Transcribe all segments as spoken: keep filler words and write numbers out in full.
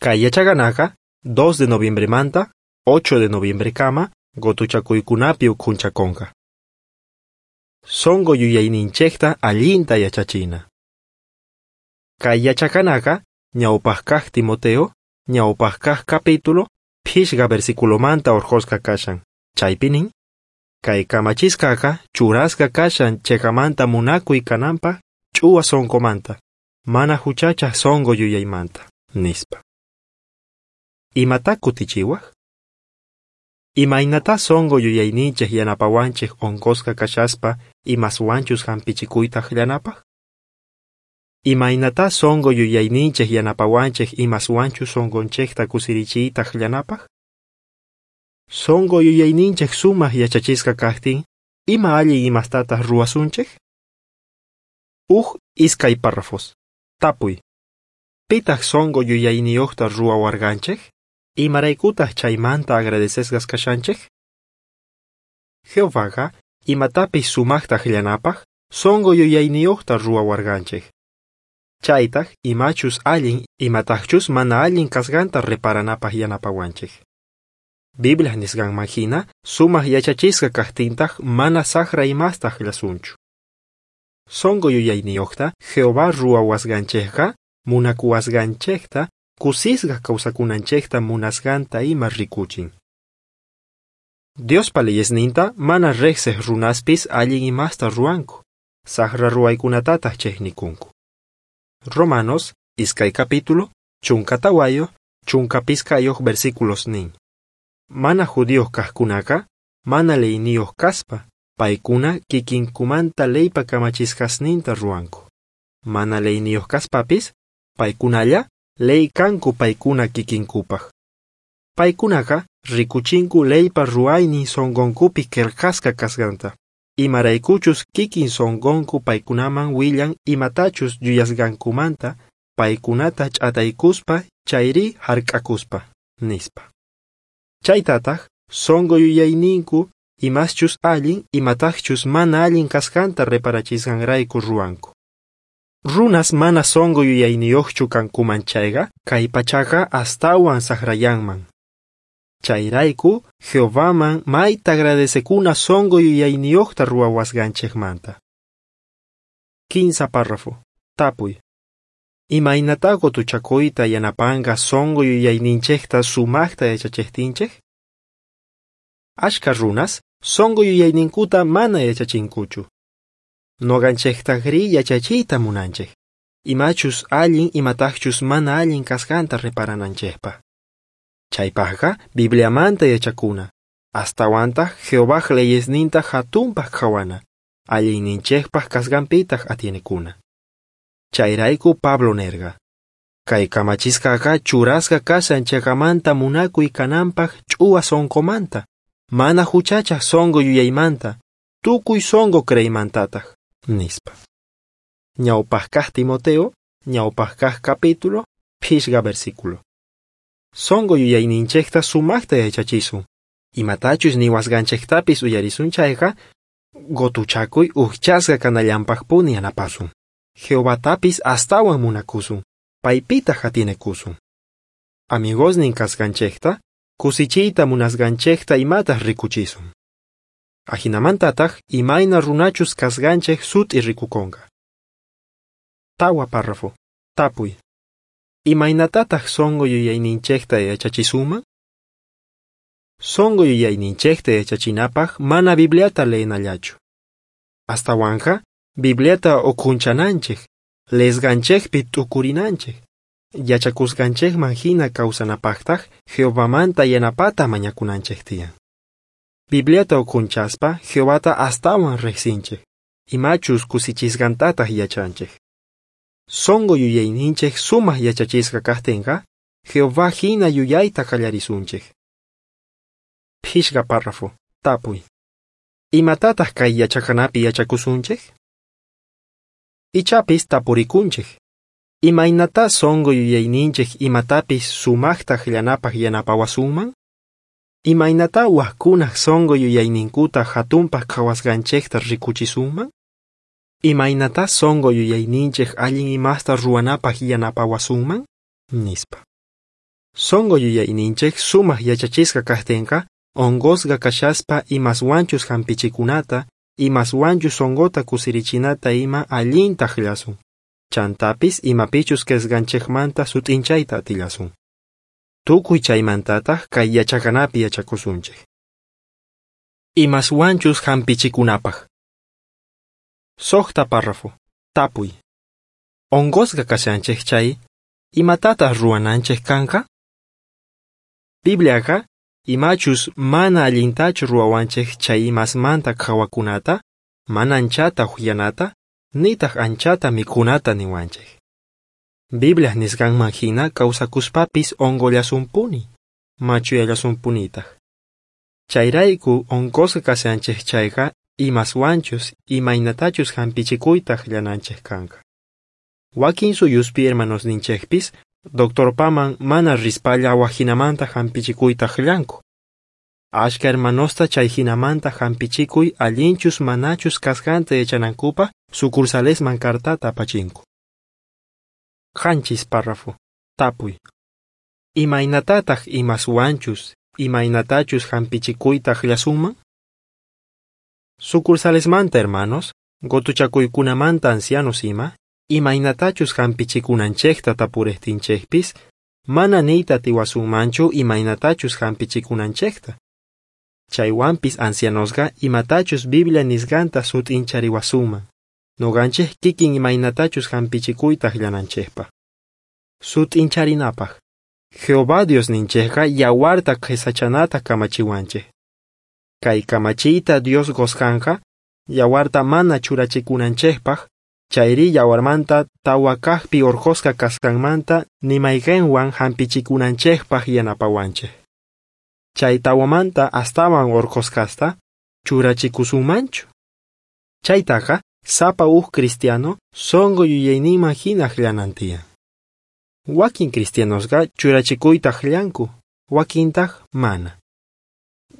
Kay yachaqanaqa dos de noviembremanta ocho de noviembrekama qotuchakuykunapi ukhunchakonqa. Sonqo yuyayninchejta allinta yachachina. Kay yachaqanaqa ñawpaj kaj Timoteo, ñawpaj kaj capítulo, phishqa versiculomanta orqhosqa kashan. Chaypi nin, kay kamachisqaqa churasqa kashan cheqamanta munakuy kananpaj ch'uwa sonqomanta, mana juchachaj sonqo yuyaymanta, nispa. Imatá kutichiwaj? Imaynatá sonqo yuyayninchej yanapawanchej onqosqa kashaspa imaswanchus hampichikuyta llanapaj? Imaynatá sonqo yuyayninchej yanapawanchej imaswanchus sonqonchejta kusirichiyta llanapaj? Sonqo yuyayninchej sumaj yachachisqa kajtin, ima allin imastataj ruwasunchej? Uj iskay párrafos. Tapuy. Pitaj sonqo yuyayniyojta ruwawarqanchej? Imaraykutaj chaymanta agradecesqas kashanchej? Jehovaqa imatapis sumajta llanapaj sonqo yuyayniyojta ruwawarqanchej. Chaytaj imachus allin imatajchus mana allin kasqanta reparanapaj yanapawanchej. Biblia nisqanman hina sumaj yachachisqa kajtintaj mana sajra imasta llasunchu. Sonqo yuyayniyojta Jehová ruwawasqanchejqa munakuwasqanchejta kusisqa kawsakunanchejta munasqanta ima rikuchin. Diospa leyesninta mana rejsej runaspis allin imasta ruwanku, sajra ruwaykunatataj chejnikunku. Romanos, iskay capítulo, chunka tawayo, chunka piskayoj versículos nin. Mana judíos kajkunaka, mana leyniyoj kaspa, paykuna kikinkumanta leypa kamachisqasninta ruwanku. Mana leyniyoj kaspapis, paykunalla ley kanku paykuna kikinkupaj. Paykunaqa rikuchinku leypa ruwaynin sonqonkupi qillqasqa kasqanta. Imaraykuchus kikin sonqonku paykunaman willan imatachus yuyasqankumanta paykunata ch'ataykuspa chayri hark'akuspa, nispa. Chaytataj sonqo yuyayninku imaschus allin imatajchus mana allin kasqanta reparachisqanrayku ruwanku. Runas mana sonqo yuyayniyojchu kankuman chayqa kay pachaqa astawan sajrayanman. Chayrayku Jehovaman mayta agradecekuna sonqo yuyayniyojta ruwawasqanchejmanta. Kinsa párrafo. Tapuy. Imaynatá qotuchakuyta yanapanqa sonqo yuyayninchejta sumajta yachachejtinchej? Ashka runas sonqo yuyayninkuta mana yachachinkuchu. Noqanchejtajrí yachachiyta munanchej, imachus allin imatajchus mana allin kasqanta reparananchejpaj. Chaypajqa Bibliamanta yachakuna, astawantaj Jehovaj leyesninta jatunpaj qhawana, allinninchejpaj kasqanpitaj atienekuna. Chayrayku Pablo nerqa, kay kamachisqaqa churasqa kashan cheqamanta munakuy kananpaj ch'uwa sonqomanta, mana juchachaj sonqo yuyaymanta, tukuy sonqo creeymantataj, nispa. Ñawpaj kaj Timoteo, ñawpaj kaj capítulo, phishqa versículo. Sonqo yuyayninchejta sumajta yachachisun. Imatachus niwasqanchejtapis uyarisun chayqa, qotuchakuy ujchasqa kanallanpajpuni yanapasun. Jehovatapis astawan munakusun, paypitaj atienekusun. Amigosnin kasqanchejta, kusichiyta munasqanchejta imataj rikuchisun. Ajinamantataj imayna runachus kasqanchej sut'i rikukonqa. Tawa párrafo. Tapuy. Imaynatataj sonqo yuyayninchejta yachachisunman? Sonqo yuyayninchejta yachachinapaj mana Bibliata leenallachu. Astawanqa Bibliata ukhunchananchej, leesqanchejpi t'ukurinanchej, yachakusqanchejman hina kawsanapajtaj Jehovamanta yanapata mañakunanchej tiyan. Bibliata ukhunchaspa Jehovata astawan rejsinchej, imachus kusichisqantataj yachanchej. Sonqo yuyayninchej sumaj yachachisqa kajtenqa, Jehová hina yuyayta qallarisunchej. Phishqa párrafo. Tapuy. Imatataj kay yachaqanapi yachakusunchej? Ichapis tapurikunchej. Imaynatá sonqo yuyayninchej imatapis sumajta llanapaj yanapawasunman? Imaynatá wajkunaj sonqo yuyayninkuta jatunpaj qhawasqanchejta rikuchisunman? Imaynatá sonqo yuyayninchej allin imasta ruwanapaj yanapawasunman? Nispa. Sonqo yuyayninchej sumaj yachachisqa kajtenqa, onqosqa kashaspa imaswanchus jampichikunata, imaswanchus sonqota kusirichinata ima allinta ajllasun. Chantapis imapichus creesqanchejmanta sut'inchayta atillasun. Tukuy chaymantataj kay yachaqanapi yachakusunchej. Imaswanchus jampichikunapaj. Sojta párrafo. Tapuy. Onqosqa kashanchej chay, imatataj ruwananchej kanqa? Bibliaqa imachus mana allintachu ruwawanchej chay imasmanta qhawakunata, mana anchata ujyanata, nitaj anchata mikhunata niwanchej. Bibliaj nisqanman hina kawsakuspapis onqollasunpuni, machuyallasunpunitaj. Chayrayku onqosqa kashanchej chayqa imaswanchus imaynatachus jampichikuyta ajllananchej kanqa. Wakin suyuspi hermanosninchejpis doctorpaman mana rispalla wajinamanta jampichikuyta ajllanku. Ashka hermanosta chay jinamanta jampichikuy allinchus manachus kasqanta yachanankupaj sucursalesman cartata apachinku. Qanchis párrafo. Tapuy. Imaynatataj imaswanchus imaynatachus jampichikuyta ajllasunman? Sucursalesmanta hermanos, gotuchakuykunamanta ancianos ima, imaynatachus jampichikunanchejta tapurejtinchejpis, mana niyta atiwasunmanchu imaynatachus jampichikunanchejta. Chaywanpis ancianosqa imatachus Biblia nisqanta sut'inchariwasunman, noqanchej kikin imaynatachus jampichikuyta ajllananchejpaj. Sut'incharinapaj. Jehová Diosninchejqa yawarta qhesachanata kamachiwanchej. Kay kamachiyta Dios qosqanqa, yawarta mana churachikunanchejpaj, chayri yawarmanta tawa kajpi orqhosqa kasqanmanta nimayqenwan jampichikunanchejpaj yanapawanchej. Chay tawamanta astawan orqhosqasta churachikusunmanchu. Chaytaqa sapa uj cristiano sonqo yuyayninman hina ajllanan tiyan. Wakin cristianosqa churachikuyta ajllanku, wakintaj mana.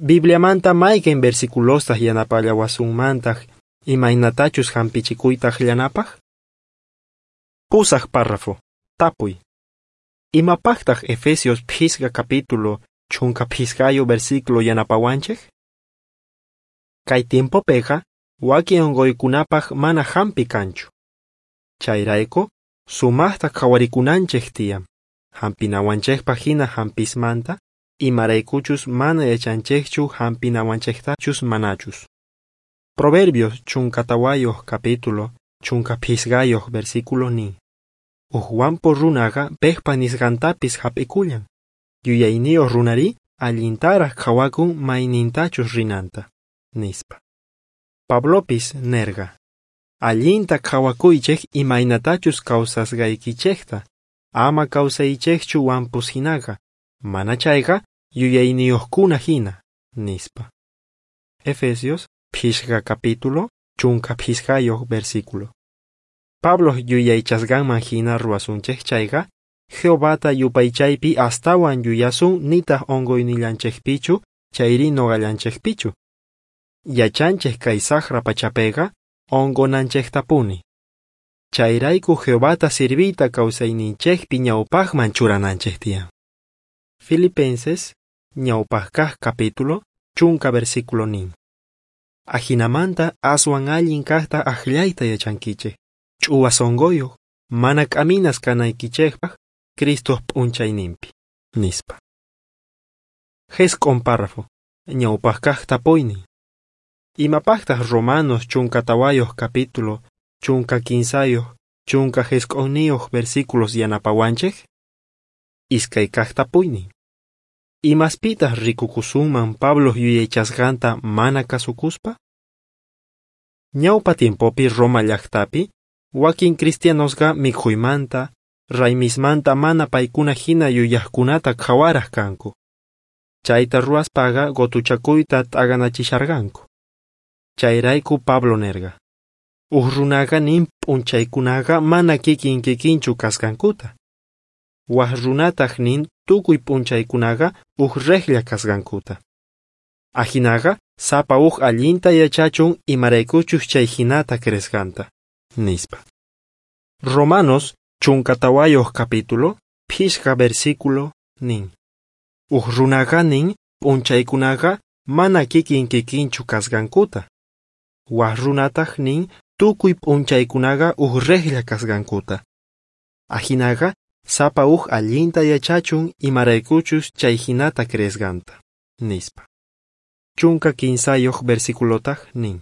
Bibliamanta mayqen versiculostaj yanapallawasunmantaj imaynatachus jampichikuyta ajllanapaj? Pusaj párrafo. Tapuy. Imapajtaj Efesios phisqa capítulo chunka phisqayo versículo yanapawanchej? Kay tiempopeqa wakin onqoykunapaj mana jampi kanchu. Chayrayku sumajta qhawarikunanchej tiyan, jampinawanchejpaj hina jampismanta, imaraykuchus mana yachanchejchu jampinawanchejtachus manachus. Proverbios chunka tawayoj capítulo chunka phisqayoj versículo nin. Uj wampu runaqa pejpa nisqantapis jap'ikullan. Yuyayniyoj runari allintaraj qhawakun maynintachus rinanta, nispa. Pablopis nerqa: allinta qhawakuychej imaynatachus kawsasqaykichejta, ama kawsaychejchu wampus hinaqa, mana chayqa yuyayniyojkuna hina, nispa. Efesios phisqa capítulo chunka phisqayoj versículo. Pablo yuyaychasqanman hina ruwasunchej chayqa, Jehovata yupaychaypi astawan yuyasun nitaj onqoynillanchejpichu chayri noqallanchejpichu. Yachanchej kay sajra pachapeqa onqonanchejtapuni. Chayrayku Jehovata sirviyta kawsayninchejpi ñawpajman churananchej tiyan. Filipenses ñawpaj kaj capítulo chunka versículo nin. Ajinamanta aswan allin kajta ajllayta yachankichej, ch'uwa sonqoyoj, mana k'aminas kanaykichejpaj Cristoj p'unchayninpi, nispa. Jesk'on párrafo. Ñawpaj kaj tapuynin. Imapajtaj Romanos chunka tawayoj capítulo chunka kinsayoj chunka jesk'onniyoj versículos yanapawanchej? Iskay kaj tapuynin. Imaspitaj rikukusunman Pablo yuyaychasqanta mana kasukuspa? Ñawpa tiempopi Roma llajtapi, wakin cristianosqa mikhuymanta, raymismanta mana paykuna hina yuyajkunata qhawaraj kanku. Chayta ruwaspaqa gotuchakuyta t'aganachisharqanku. Chayrayku Pablo nerqa: uj runaqa nin p'unchaykunaqa mana kikin kikinchu kasqankuta. Waj runataj nin tukuy p'unchaykunaqa uj rejlla kasqankuta. Ajinaqa sapa uj allinta yachachun imaraykuchus chay hinata creesqanta, nispa. Romanos chunka tawayoj capítulo, phisqa versículo nin: Uj runaqa nin p'unchaykunaqa mana kikin kikinchu kasqankuta. Waj runataj nin tukuy p'unchaykunaqa uj rejlla kasqankuta. Ajinaqa sapa uj allinta yachachun imaraykuchus chay jinata creesqanta, nispa. Chunka kinsayoj versiculotaj nin: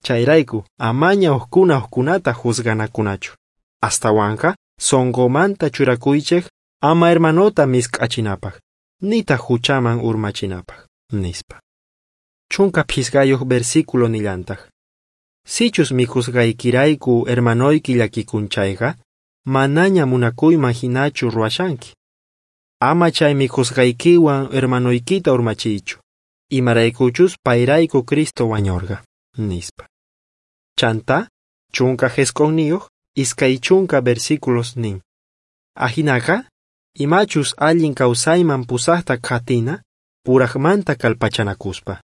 Chayrayku amaña ujkuna ujkunata juzganakunachu. Astawanqa sonqomanta churakuychej ama hermanota misk'achinapaj, nitaj juchaman urmachinapaj, nispa. Chunka phisqayoj versículo nillantaj: Sichus mikhusqaykirayku hermanoyki llakikun chayqa, manaña munakuyman hinachu ruwashanki. Ama chay mikhusqaykiwan hermanoykita urmachiychu, imaraykuchus payrayku Cristo wañorqa, nispa. Chantá, chunka jisq'onniyoj, iskay chunka versículos nin: Ajinaqa, imachus allin kawsayman pusajta qhatina, purajmanta kallpachanakuspa.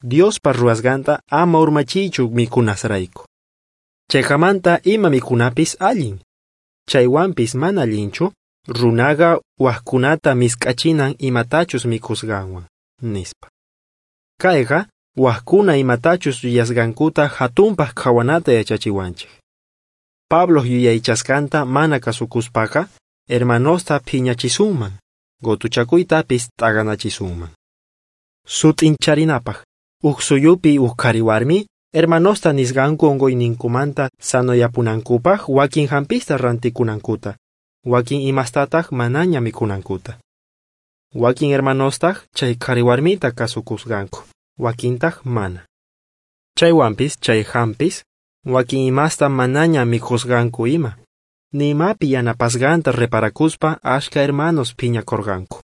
Diospa ruwasqanta ama urmachiychu mikhunasrayku. Cheqamanta ima mikhunapis allin. Chaywanpis mana allinchu, runaqa wajkunata misk'achinan imatachus mikhusqanwan, nispa. Kayqa wajkuna imatachus yuyasqankuta jatunpaj qhawanata yachachiwanchej. Pabloj yuyaychasqanta mana kasukuspaqa, hermanosta phiñachisunman, gotuchakuytapis t'aqanachisunman. Sut'incharinapaj, uj suyupi uj qhariwarmi, hermanosta nisqanku onqoyninkumanta sanoyapunankupaj wakin jampista rantikunankuta, wakin imastataj manaña mikhunankuta. Wakin hermanostaj chay qhariwarmita kasukusqanku, wakintaj mana. Chaywanpis chay jampis, wakin imasta manaña mikhusqanku ima, ni imapi yanapasqanta reparakuspa ashka hermanos phiñakorqanku.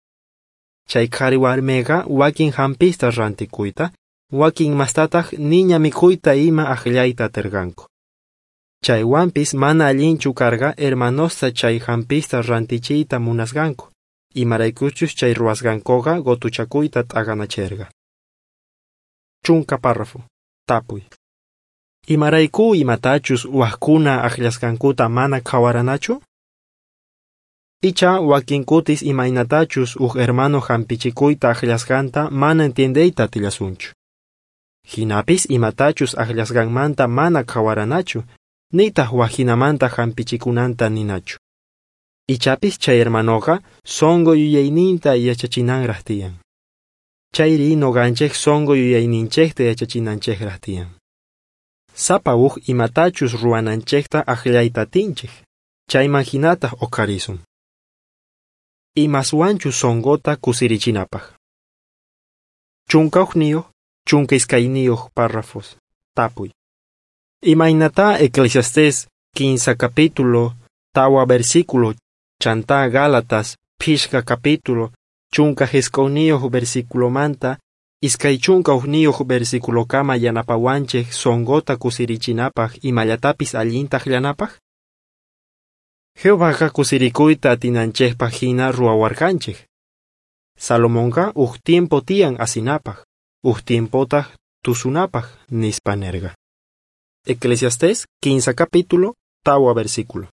Chay qhariwarmeqa wakin jampista rantikuyta, wakin imastataj niña mikhuyta ima ajllayta aterqanku. Chaywanpis mana allinchu karqa hermanosta chay jampista rantichiyta munasqanku, imaraykuchus chay ruwasqankoqa gotuchakuyta t'aqanacherqa. Chunka párrafo. Tapuy: Imarayku imatachus wajkuna ajllasqankuta mana qhawaranachu? Icha wakin kutis imaynatachus uj hermano jampichikuyta ajllasqanta mana entiendeyta atillasunchu. Jinapis imatachus ajllasqanmanta mana qhawaranachu, nitaj wajinamanta jampichikunanta ninachu. Ichapis chay hermanoqa sonqo yuyayninta yachachinanraj tiyan. Chayri noqanchej sonqo yuyayninchejta yachachinanchejraj tiyan. Sapa uj imatachus ruwananchejta ajllayta atinchej, chayman jinataj oqharisun. Imaswanchus sonqota kusirichinapaj. Chunka ujniyoj, chunka iskayniyoj párrafos. Tapuy: Imaynatá Eclesiastés kinsa capítulo, tawa versículo, chantá Gálatas phishqa capítulo, chunka jisq'onniyoj versiculomanta, iskay chunka ujniyoj versiculokama yanapawanchej sonqota kusirichinapaj imallatapis allinta ajllanapaj? Jehovaqa kusirikuyta atinanchejpaj jina ruwawarqanchej. Salomonqa uj tiempo tiyan asinapaj, uj tiempotaj tusunapaj, nispa nerqa. Eclesiastés kinsa capítulo, tawa versículo.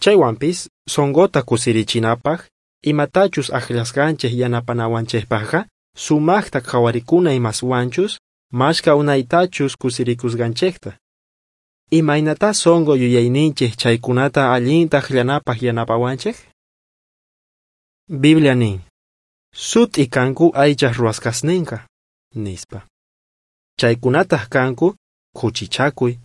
Chaywanpis sonqota kusirichinapaj, imatachus ajllasqanchej yanapanawanchejpajqa, sumajta qhawarikuna imaswanchus, mashka unaytachus kusirikusqanchejta. Imaynatá sonqo yuyayninchej chaykunata allinta ajllanapaj yanapawanchej? Biblia nin: Sut'i kanku aychaj ruwasqasnenqa, nispa. Chaykunataj kanku khuchichakuy,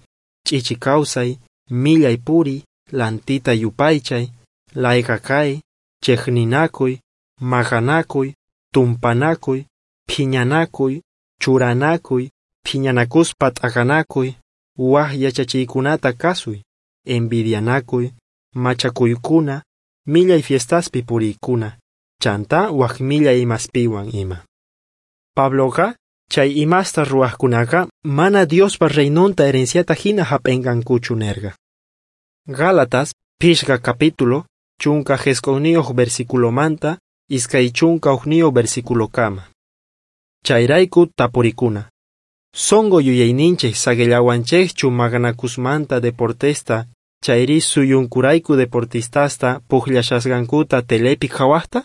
ch'ichi kawsay, millay puriy, lantita yupaychay, layqa kay, chejninakuy, maqanakuy, tumpanakuy, phiñanakuy, churanakuy, phiñanakuspa t'aqanakuy, waj yachachiykunata kasuy, envidianakuy, machakuykuna, millay fiestaspi puriykuna, chantá waj millay imaspiwan ima. Pabloqa chay imasta ruwajkunaqa mana Diospa reinonta herenciata jina jap'enqankuchu nerqa. Gálatas phishqa capítulo, chunka jisq'onniyoj versiculomanta, iskay chunka ujniyoj versiculokama. Chayrayku tapurikuna: Sonqo yuyayninchej saqillawanchejchu maqanakusmanta deportesta chayri suyunkurayku deportistasta pujllashasqankuta telepi qhawajta?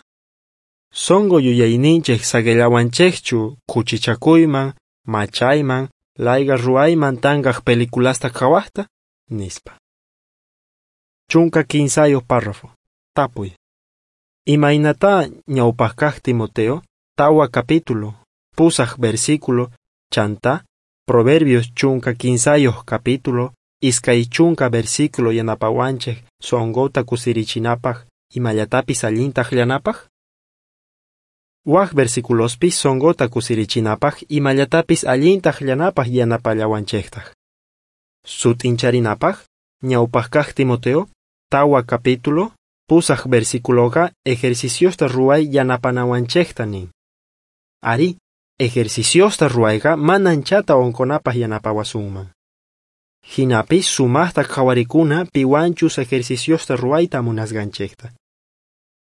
Sonqo yuyayninchej saqellawanchejchu khuchichakuyman, machayman, layqa ruwayman tanqaj peliculasta qhawajta, nispa. Chunka kinsayoj párrafo. Tapuy. Imaynatá ñawpaj kaj Timoteo, tawa capítulo, pusaj versículo, chantá, Proverbios chunka kinsayoj capítulo, iskay chunka versículo yanapawanchej sonqota kusirichinapaj imallatapis allinta ajllanapaj? Waj versiculospis sonqota kusirichinapaj imallatapis allinta ajllanapaj yanapallawanchejtaj. Sut'incharinapaj, ñawpaj kaj Timoteo, tawa capítulo, pusaj versiculoqa ejerciciosta ruway yanapanawanchejta nin. Arí, ejerciciosta ruwayqa mana anchata onqonapaj yanapawasunman. Jinapis sumajta qhawarikuna piwanchus ejerciciosta ruwayta munasqanchejta.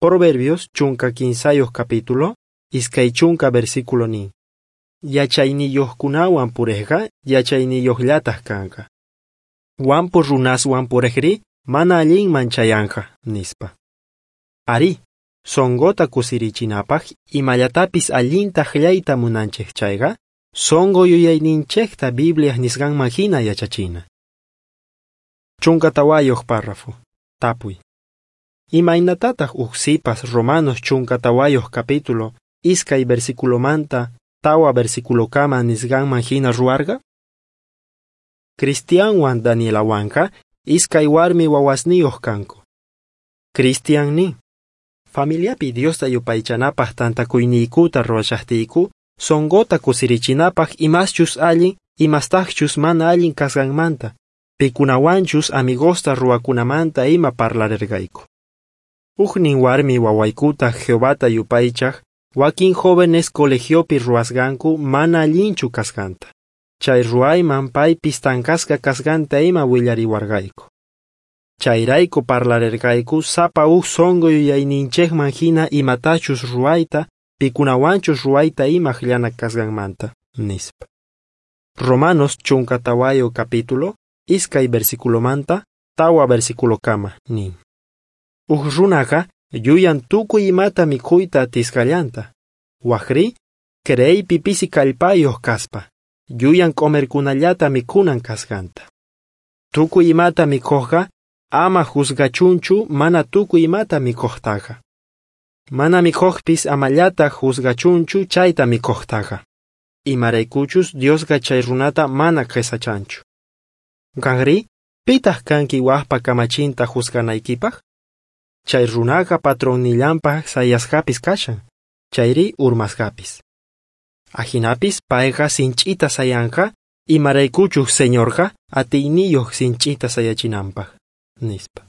Proverbios chunka kinsayoj capítulo, iskay chunka versículo nin. Yachayniyojkunawan purejqa yachayniyojllataj kanqa. Wampu runaswan purejrí mana allinman chayanqa, nispa. Arí, sonqota kusirichinapaj imallatapis allinta ajllayta munanchej chayqa, sonqo yuyayninchejta Bibliaj nisqanman jina yachachina. Chunka tawayoj párrafo. Tapuy. Imaynatataj uj sipas Romanos chunka tawayoj capítulo, iskay versiculomanta tawa versiculokama nisqanman jina ruwarqa? Cristianwan Danielawanqa iskay warmi wawasniyoj kanku. Cristian nin: Familiapi Diosta yupaychanapaj tantakuyniykuta ruwashajtiyku, sonqota kusirichinapaj imaschus allin, imastajchus mana allin kasqanmanta, pikunawanchus amigosta ruwakunamanta ima parlarerqayku. Ujnin warmi wawaykutaj Jehovata yupaychaj, wakin jóvenes colegiopi ruwasqanku mana allinchu kasqanta. Chay ruwayman paypis tanqasqa kasqanta ima willariwarqayku. Chayrayku parlarerqayku sapa uj sonqo yuyayninchejman jina imatachus ruwayta, pikunawanchus ruwayta ima ajllana kasqanmanta, nispa. Romanos chunka tawayo capítulo, iskay versiculomanta, tawa versiculokama, nin. Uj runaqa yuyan tukuy imata mikhuyta atisqallanta. Wajrí, creeypi pisi kallpayoj kaspa, yuyan q'omerkunallata mikhunan kasqanta. Tukuy imata mikhojqa ama juzgachunchu mana tukuy imata mikhojtaqa. Mana mikhojpis amallataj juzgachunchu chayta mikhojtaqa. Imaraykuchus Diosqa chay runata mana qhesachanchu. Qanrí, pitaj kanki wajpa kamachinta juzganaykipaj? Chay runaqa patronnillanpaj sayasqapis kashan, chayri urmasqapis. Ajinapis payqa sinch'ita sayanqa, imaraykuchus Señorqa atiyniyoj sinch'ita sayachinanpaj, nispa.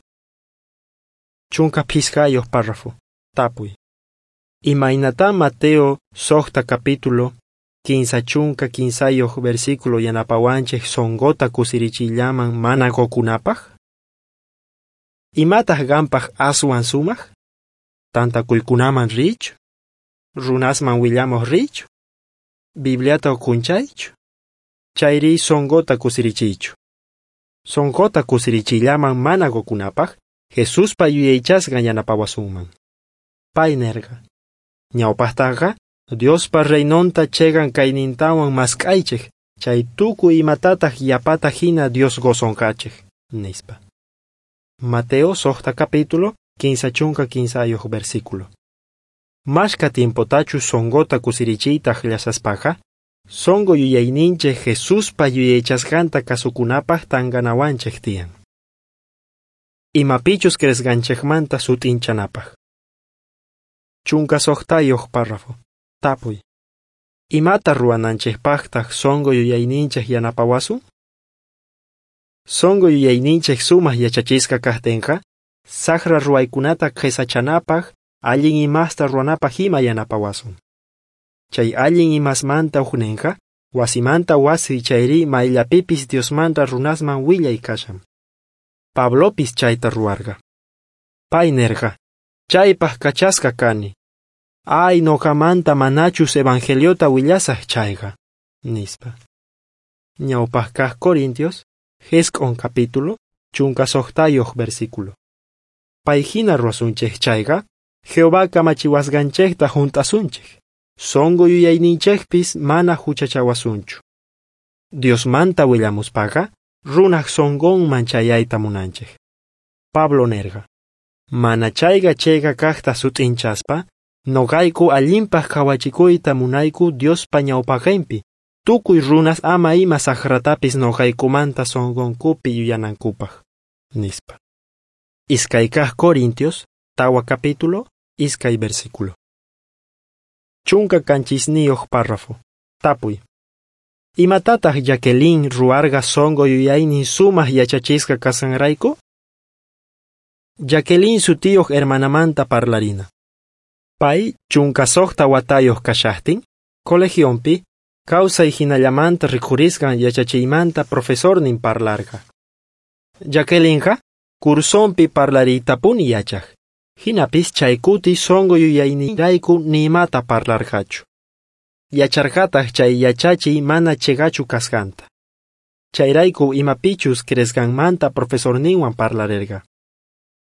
Chunka phisqayoj párrafo. Tapuy. Imaynatá Mateo sojta capítulo, kinsa chunka kinsayoj versículo yanapawanchej sonqota kusirichiyllaman mana qokunapaj? Imataj qanpaj aswan sumaj? Tantakuykunaman riychu? Runasman willamoj riychu? Bibliata ukhunchaychu? Chayrí sonqota kusirichiychu. Sonqota kusirichiyllaman mana qokunapaj, Jesuspa yuyaychasqan yanapawasunman. Pay nerqa: Ñawpajtaqa Diospa reinonta cheqan kaynintawan mask'aychej, chay tukuy imatataj yapata jina Dios qosonqachej, nispa. Mateo sojta capítulo, kinsa chunka kinsayoj versículo. Mashka tiempotachus sonqota kusirichiyta ajllasaspaqa, sonqo yuyayninchej Jesuspa yuyaychasqanta kasukunapaj tanqanawanchej tiyan. Imapichus creesqanchejmanta sut'inchanapaj. Chunka sojtayoj párrafo. Tapuy. Imata ruwananchejpajtaj sonqo yuyayninchej yanapawasun? Sonqo yuyayninchej sumaj yachachisqa kajtenqa, sajra ruwaykunata qhesachanapaj, allin imasta ruwanapaj ima yanapawasun. Chay allin imasmanta ujnenqa, wasimanta wasi chayrí mayllapipis Diosmanta runasman willay kashan. Pablopis chayta ruwarqa. Pay nerqa: Chaypaj kachasqa kani. Ay, noqamanta manachus evangeliota willasaj chayqa, nispa. Ñawpaj kaj Corintios, jisq'on capítulo, chunka sojtayoj versículo. Pay jina ruwasunchej chayqa, Jehová kamachiwasqanchejta junt'asunchej. Sonqo yuyayninchejpis mana juchachawasunchu. Diosmanta willamuspaqa, runaj sonqonman chayayta munanchej. Pablo nerqa: Mana chayqa chayqa kajta sut'inchaspa, noqayku allinpaj qhawachikuyta munayku Diospa ñawpaqenpi, tukuy runas ama ima sajratapis noqaykumanta sonqonkupi yuyanankupaj, nispa. Iskay kaj Corintios, tawa capítulo, iskay versículo. Chunka kanchisniyoj párrafo. Tapuy. Imatataq Jacqueline ruwarqa sonqo yuyaynin sumaj yachachisqa kasqanrayku? Jacqueline sutiyoj hermanamanta parlarina. Pay chunka suqta watayoj kashajtin, colegionpi, kawsay jinallamanta rikhurisqan yachachiymanta profesornin parlarqa. Jacquelinqa cursonpi parlariytapuni yachaj. Jinapis chay kuti sonqo yuyayninrayku ni imata parlarqachu. Yacharqataj chay yachachiy mana cheqachu kasqanta. Chayrayku imapichus creesqanmanta profesorninwan parlarerqa.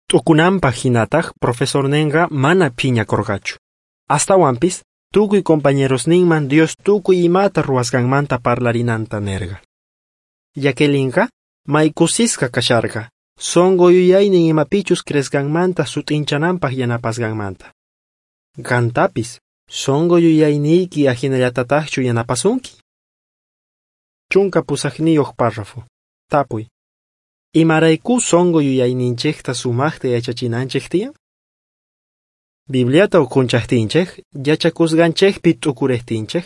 T'ukunanpaj jinataj profesornenqa mana phiñakorqachu. Astawanpis tukuy compañerosninman Dios tukuy imata ruwasqanmanta parlarinanta nerqa. Jacquelinqa may kusisqa kasharqa, sonqo yuyaynin imapichus creesqanmanta sut'inchananpaj yanapasqanmanta. Qantapis sonqo yuyayniyki ajinallatatajchu yanapasunki? Chunka pusajniyoj párrafo. Tapuy. Imarayku sonqo yuyayninchejta sumajta yachachinanchej tiyan? Bibliata ukhunchajtinchej, yachakusqanchejpi t'ukurejtinchej,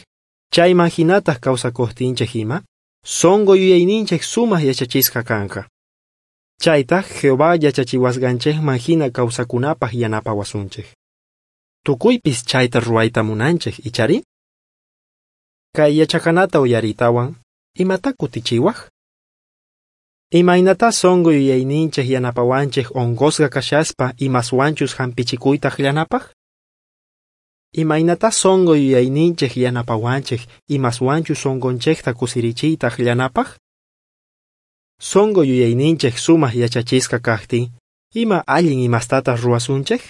chayman jinataj kawsakojtinchej ima, sonqo yuyayninchej sumaj yachachisqa kanqa. Chaytaj Jehová yachachiwasqanchejman jina kawsakunapaj yanapawasunchej. Tukuypis chayta ruwayta munanchej, ichari? Kay yachaqanata uyariytawan, imata kutichiwaj? Imaynatá sonqo yuyayninchej yanapawanchej onqosqa kashaspa imaswanchus jampichikuyta ajllanapaj? Imaynatá sonqo yuyayninchej yanapawanchej imaswanchus sonqonchejta kusirichiyta ajllanapaj? Sonqo yuyayninchej sumaj yachachisqa kajtin, ima allin imastataj ruwasunchej?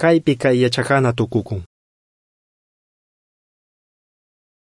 Kaypi kay yachaqana tukukun.